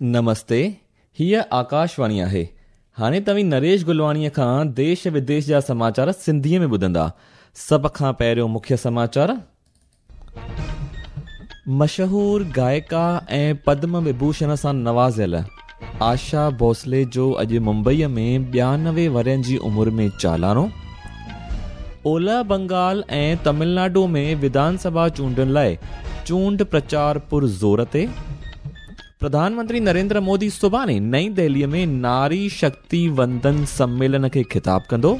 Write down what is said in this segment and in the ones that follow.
نمستي، هيء آڪاشواڻي آهي. هاڻي توهين نريش گلواڻيء کان ديش وديش جا سماچار سنڌيء ۾ ٻڌندا. سڀ کان پهريون مکيه سماچار. مشهور گائڪا ۽ پدم وڀوشڻ سان نوازيل آشا ڀوسلي جو اڄ ممبئيء ۾ 92 ورهين جي عمر ۾ چالاڻو. اولهه بنگال ۽ تامل ناڊو ۾ وڌان سڀا چونڊن لاء چونڊ پرچار پر زور تي. پرڌان منتري نريندر مودي سڀاڻي نئين دهليء ۾ ناري شڪتي وندن سميلن کي خطاب ڪندو.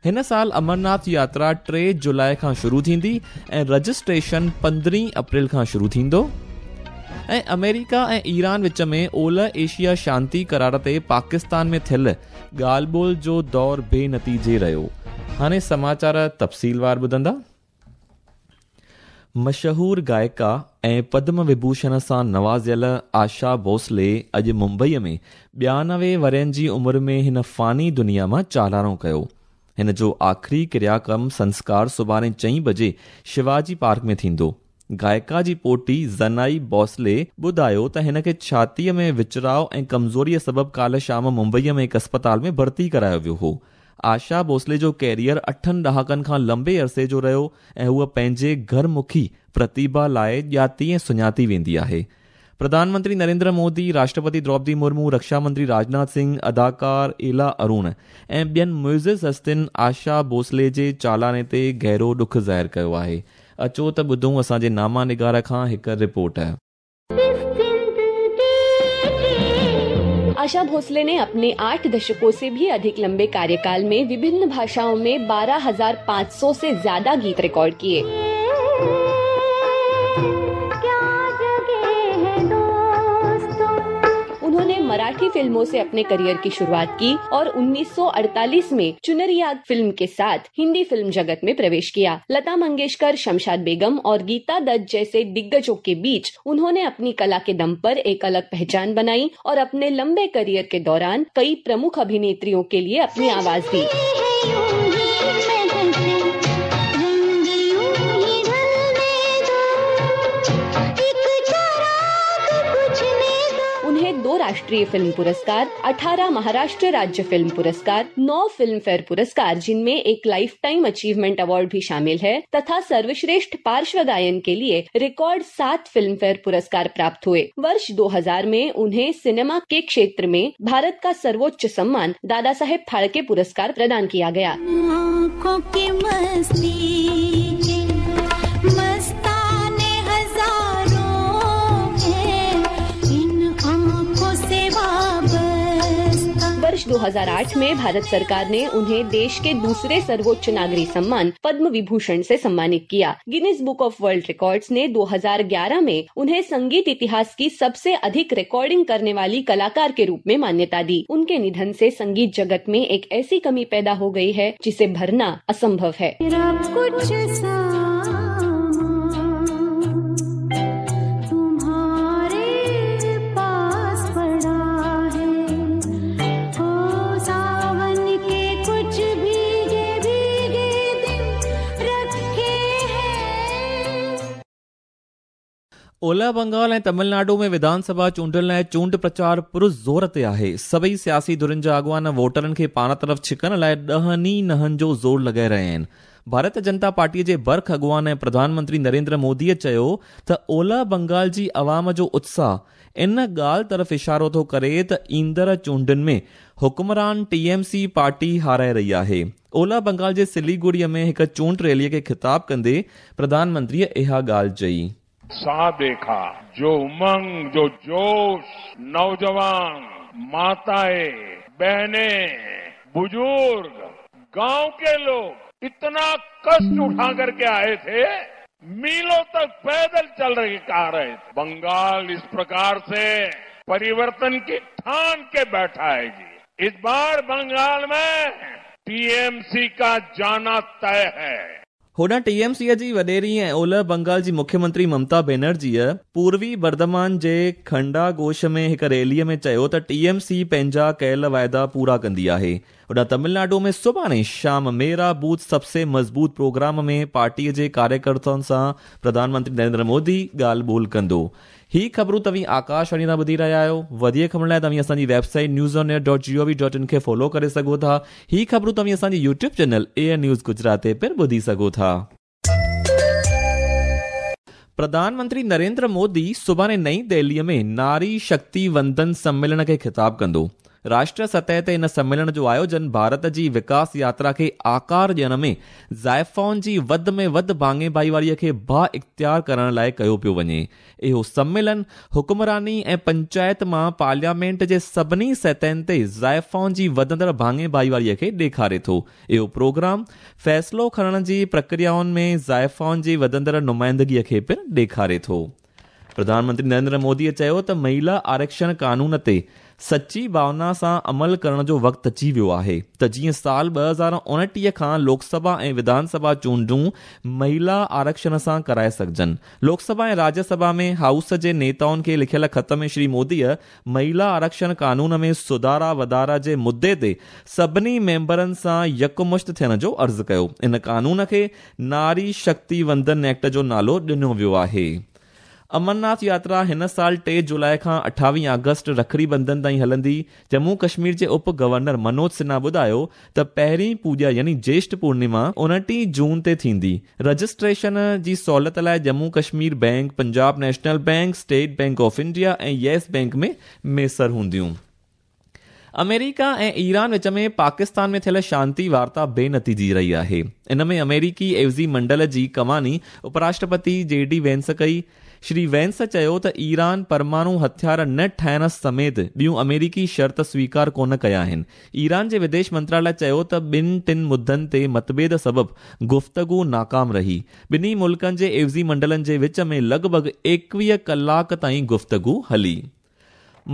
هن سال امرناٿ ياترا 3 جولاء کان شروع ٿيندي ۽ رجسٽريشن 15 اپريل کان شروع ٿيندو. ۽ آمريڪا ۽ ايران وچ ۾ اولهه ايشيا شانتي قرار تي پاڪستان ۾ ٿيل ڳالهه ٻولهه جو دور بي نتيجي رهيو. هاڻي سماچار تفصيلوار ٻڌندا. مشهور گائڪا ۽ پدم وڀوشڻ سان نوازيل آشا ڀوسلي اڄ ممبئيء ۾ 92 ورهين جي عمر ۾ هن فاني دنيا مان چالاڻو ڪيو. هن جو آخري ڪرياڪرم سنسڪار سڀاڻي چئين بجي شيواجي پارڪ ۾ ٿيندو. گائڪا جي پوٽي زنائي ڀوسلي ٻڌايو ته هن کي ڇاتيء ۾ وچراء ۽ ڪمزوريء سبب ڪالهه شام ممبئيء ۾ هڪ اسپتال ۾ ڀرتي ڪرايو ويو هو. آشا ڀوسلي جو ڪيريئر اٺن ڏهاڪن کان لنبي عرصي جو رهيو ۽ هوء پنهنجي گهر مکي پرتيڀا لاء ڄاتي ۽ سڃاتي ويندي آهي. پرڌان منتري نريندر مودي، راشٽرپتي دروپدي مرمو، رڪشا منتري راجناٿ سنگهه، اداڪار ايلا ارون ۽ ٻين معزز هستين آشا ڀوسلي جي چالاڻي تي گهرو ڏک ظاهر ڪيو آهي. اچو ته ٻڌون اسان جي ناما نگار کان هڪ رپورٽ. आशा भोसले ने अपने 8 दशकों से भी अधिक लंबे कार्यकाल में विभिन्न भाषाओं में 12,500 से ज्यादा गीत रिकॉर्ड किए। उन्होंने मराठी फिल्मों से अपने करियर की शुरुआत की और 1948 में चुनरिया फिल्म के साथ हिंदी फिल्म जगत में प्रवेश किया। लता मंगेशकर, शमशाद बेगम और गीता दत्त जैसे दिग्गजों के बीच उन्होंने अपनी कला के दम पर एक अलग पहचान बनाई और अपने लंबे करियर के दौरान कई प्रमुख अभिनेत्रियों के लिए अपनी आवाज दी। उन्हें 2 राष्ट्रीय फिल्म पुरस्कार, 18 महाराष्ट्र राज्य फिल्म पुरस्कार, 9 फिल्म फेयर पुरस्कार जिनमें एक लाइफ टाइम अचीवमेंट अवार्ड भी शामिल है तथा सर्वश्रेष्ठ पार्श्व गायन के लिए रिकॉर्ड 7 फिल्म फेयर पुरस्कार प्राप्त हुए। वर्ष 2000 में उन्हें सिनेमा के क्षेत्र में भारत का सर्वोच्च सम्मान दादा साहेब फाल्के पुरस्कार प्रदान किया गया। आँखों की मस्ती के मस्ताने हजारों हैं, इन आँखों से वाबस्ता। वर्ष 2008 में भारत सरकार ने उन्हें देश के दूसरे सर्वोच्च नागरिक सम्मान पद्म विभूषण से सम्मानित किया। Guinness book of world records ने 2011 में उन्हें संगीत इतिहास की सबसे अधिक रिकॉर्डिंग करने वाली कलाकार के रूप में मान्यता दी। उनके निधन से संगीत जगत में एक ऐसी कमी पैदा हो गई है जिसे भरना असंभव है। मेरा कुछ तुम्हारे पास पड़ा है, हो सावन के कुछ भीगे भीगे दिन रखे हैं। اولهه بنگال ۽ تامل ناڊو ۾ وڌان سڀا چونڊن لاءِ چونڊ پرچار پر زور تي آهي. سڀئي سياسي ڌرين جا اڳواڻ ووٽرن کي پاڻ طرف ڇڪڻ لاءِ ڏهن ئي نهن جو زور لڳائي رهيا آهن. ڀارتيه جنتا پارٽيءَ جي برک اڳواڻ ۽ پرڌان منتري نريندر موديءَ چيو ته اولهه بنگال جي عوام جو اتساهه ان ڳالهه طرف اشارو ٿو ڪري ته ايندڙ چونڊن ۾ حڪمران ٽي ايم سي پارٽي هارائي رهي آهي. اولهه بنگال جي سليگڙيءَ ۾ هڪ چونڊ ريليءَ کي خطاب ڪندي پرڌان منتريءَ اها ڳالهه چئي. اتساهه دیکھا، جو امنگ، جو جوش، نوجوان، ماتائیں، بہنیں، بزرگ، گاؤں کے لوگ اتنا کشٹ اٹھا کر کے آئے تھے، میلوں تک پیدل چل رہے آ رہے تھے۔ بنگال اس پرکار سے پریورتن کی ٹھان کے بیٹھا ہے جی۔ اس بار بنگال میں ٹی ایم سی کا جانا طے ہے۔ هوڏانهن ٽي ايم سيءَ جي وڏيري ۽ اولهه بنگال جي مکيه منتري ممتا بينرجيءَ پوروي برڌمان جي کنڊا گوش ۾ هڪ ريليءَ ۾ چيو ته ٽي ايم سي پنهنجا ڪيل واعدا پورا ڪندي آهي. هوڏانهن تامل ناڊو ۾ سڀاڻي شام ميرا بوٿ سب سي مضبوط پروگرام ۾ پارٽيءَ جي ڪاريڪرتائن سان پرڌان منتري نريندر مودي ڳالهه ٻولهه ڪندو. هي خبرون توهين آڪاشواڻي تان ٻڌي رهيا آهيو. وڌيڪ خبرن لاء توهين اسان جي website news on air dot G O V dot in کي فالو ڪري سگهو ٿا. هي خبرون توهين اسان جي YouTube channel A I news Gujarat تي پڻ ٻڌي سگهو ٿا. پرڌان منتري نريندر مودي سڀاڻي نئين دهليء ۾ ناري شڪتي وندن سميلن کي خطاب ڪندو. راشٽريه سطح تي ان سميلن جو آيوجن ڀارت جي وڪاس ياترا کي آڪار ڏيڻ ۾ زائفائن جي وڌ ۾ وڌ ڀاڱي ڀائيواريء کي بااختيار ڪرڻ لاء ڪيو پيو وڃي. اهو سميلن حڪمراني ۽ پنچائت مان پارليامينٽ جي سڀني سطحن تي زائفائن جي وڌندڙ ڀاڱي ڀائيواريء کي ڏيکاري ٿو. اهو پروگرام فيصلو کڻڻ جي پرڪريائن ۾ زائفائن جي وڌندڙ نمائندگيء کي پڻ ڏيکاري ٿو. پرڌان منتري نريندر موديء چيو ته مهيلا آرڪشڻ قانون تي سچي ڀاونا سان عمل ڪرڻ جو وقت اچي ويو آهي ته جيئن سال 2029 کان لوڪ سڀا ۽ وڌان سڀا چونڊون مهيلا آرڪشڻ سان ڪرائي سگهجن. لوڪ سڀا ۽ راجيه سڀا ۾ هائوس جي نيتائن کي لکيل خط ۾ شري موديء مهيلا آرڪشڻ قانون ۾ سڌارا وڌارا جي مدعي تي سڀني ميمبرن سان يڪمشت ٿيڻ جو عرض ڪيو. ان قانون کي ناري شڪتي وندن ايڪٽ جو نالو ڏنو ويو آهي. امرناٿ ياترا هن سال 3 جولاء کان 28 آگسٽ رکڙي بنڌن تائين هلندي. ڄمون ڪشمير جي اپ گورنر منوج سنها ٻڌايو ته پهرين پوڄا يعني جيشٺ پورنما 29 جون تي ٿيندي. رجسٽريشن جي سهولت لاء Jammu Kashmir bank, Punjab national bank, state bank of India ۽ yes bank ۾ ميسر هونديون. آمريڪا ۽ ايران وچ ۾ پاڪستان ۾ ٿيل شانتي وارتا بي نتيجي رهي آهي. ان ۾ آمريڪي عيوضي منڊل جي ڪماني اپراشٽرپتي جي ڊي وينس ڪئي. شري وينس چيو ته ايران پرماڻو هٿيار نه ٺاهڻ سميت ٻيون آمريڪي شرط سويڪار ڪونه ڪيا آهن. ايران جي وديش منتراليه چيو ته ٻن ٽن مدن تي متڀيد سبب گفتگو ناڪام رهي. ٻنهي ملڪن جي عيوضي منڊلن جي وچ ۾ لڳ ڀڳ 21 ڪلاڪ تائين گفتگو هلي.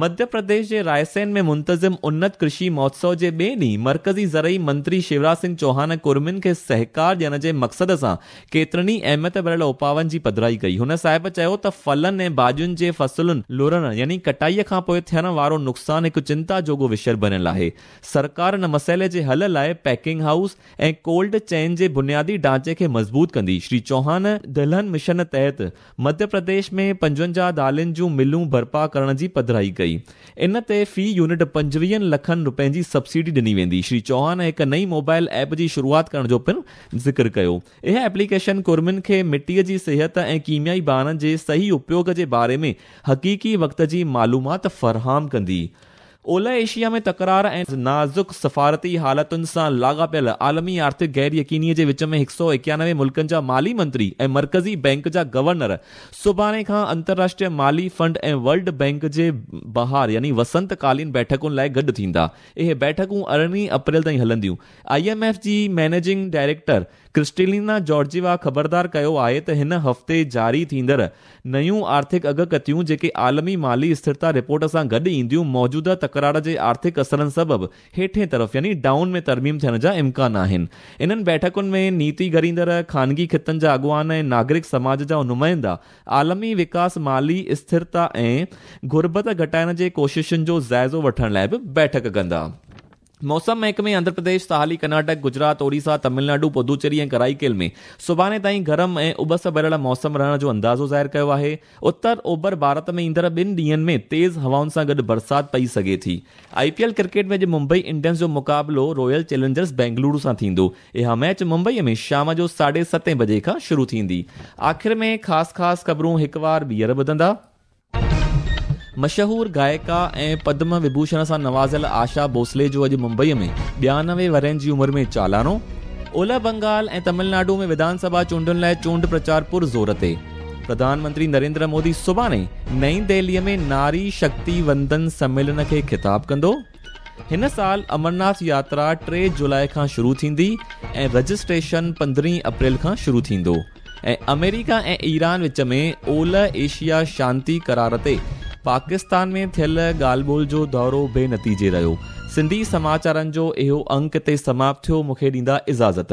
مڌيه پرديش جي رائسين ۾ منتظم انت ڪرشي مهوتسو جي ٻئي ڏينهن مرڪزي زرعي منتري شيوراج سنگهه چوهان ڪرمين کي سهڪار ڏيڻ جي مقصد سان ڪيترن ئي اهميت ڀريل اپاون جي پڌرائي ڪئي. هن صاحب چيو ته ڦلن ۽ ڀاڄين جي فصلن لڻڻ يعني ڪٽائي کان پوء ٿيڻ وارو نقصان هڪ چنتا جوڳو وشيه بڻيل آهي. سرڪار ان مسئلي جي حل لاء پيڪنگ هائوس ۽ ڪولڊ چين جي بنيادي ڍانچي کي مضبوط ڪندي. شري چوهان دلهن مشن تحت مڌيه پرديش ۾ 55 دالين جون ملون برپا ڪرڻ جي پڌرائي ڪئي. ان تي في يونٽ 25 لکن رپين جي سبسڊي ڏني ويندي. شري چوهان هڪ نئين موبائل ايپ جي شروعات ڪرڻ جو پڻ ذڪر ڪيو. اها ايپليڪيشن ڪرمين کي مٽيء جي صحت ۽ ڪيميائي ڀاڻ جي صحيح اپيوگ جي باري ۾ حقيقي وقت جي معلومات فراهم ڪندي. اولهه ايشيا ۾ تڪرار ۽ نازڪ سفارتي حالتن سان لاڳاپيل عالمي آرٿڪ غير يقيني جي وچ ۾ 191 ملڪن جا مالي منتري ۽ مرڪزي بئنڪ جا گورنر سڀاڻي کان انترراشٽريه مالي فنڊ ۽ ورلڊ بئنڪ جي بهار يعني وسنت ڪالين بيٺڪن لاء گڏ ٿيندا. اهي بيٺڪون 18 اپريل تائين هلنديون. I M F جي مئنيجنگ ڊائريڪٽر ڪرسٽيلينا جارجيوا خبردار ڪيو آهي ته هن هفتي جاري ٿيندڙ نيون آرٿڪ اڳڪٿيون جيڪي عالمي مالي اسٿرتا رپورٽ سان گڏ اينديون موجوده تڪرار جي آرٿڪ اثرن سبب هيٺين طرف يعني ڊائون ۾ ترميم ٿيڻ جا امڪان آهن. انهن بيٺڪن ۾ نيتي گهڙيندڙ، خانگي خطن جا اڳواڻ ۽ ناگرڪ سماج جا نمائندا عالمي وڪاس مالي اسٿرتا ۽ غربت گهٽائڻ جي ڪوششن جو جائزو وٺڻ لاء به بيٺڪ ڪندا. موسم محڪمي آنڌرا پرديش، ساحلي ڪرناٽڪ، گجرات، اوڙيسا، تامل ناڊو، پدوچيري ۽ ڪرائيڪيل ۾ سڀاڻي تائين گرم ۽ اٻس ڀريل موسم رهڻ جو اندازو ظاهر ڪيو آهي. اتر اوڀر ڀارت ۾ ايندڙ ٻن ڏينهن ۾ تيز هوائن سان گڏ برسات پئي سگهي ٿي. آء پي ايل ڪرڪيٽ ۾ اڄ ممبئي انڊينز جو مقابلو رائل چئلينجرز بينگلورو سان ٿيندو. اها ميچ ممبئي ۾ شام جو 7:30 بجي کان شروع ٿيندي. آخر ۾ خاص خاص خبرون هڪ وار ٻيهر ٻڌندا. مشهور گائڪا ۽ پدم وڀوشڻ سان نوازيل آشا ڀوسلي جو اڄ ممبئي ۾ 92 ورهين جي عمر ۾ چالاڻو. اولهه بنگال ۽ تامل ناڊو ۾ وڌان سڀا چونڊن لاء چونڊ پرچار پر زور تي. پرڌان منتري نريندر مودي سڀاڻي نئين دهلي ۾ ناري شڪتي وندن سميلن کي خطاب ڪندو. هن سال امرناٿ ياترا 3 جولاء کان شروع ٿيندي ۽ رجسٽريشن 15 اپريل کان شروع ٿيندو. ۽ آمريڪا ۽ ايران وچ ۾ اولهه ايشيا شانتي قرار تي پاڪستان ۾ ٿيل ڳالهه ٻولهه جو دورو بي نتيجي رهيو. سنڌي سماچارن جو اهو انڪ هتي سماپت ٿيو. مون کي ڏيندا اجازت.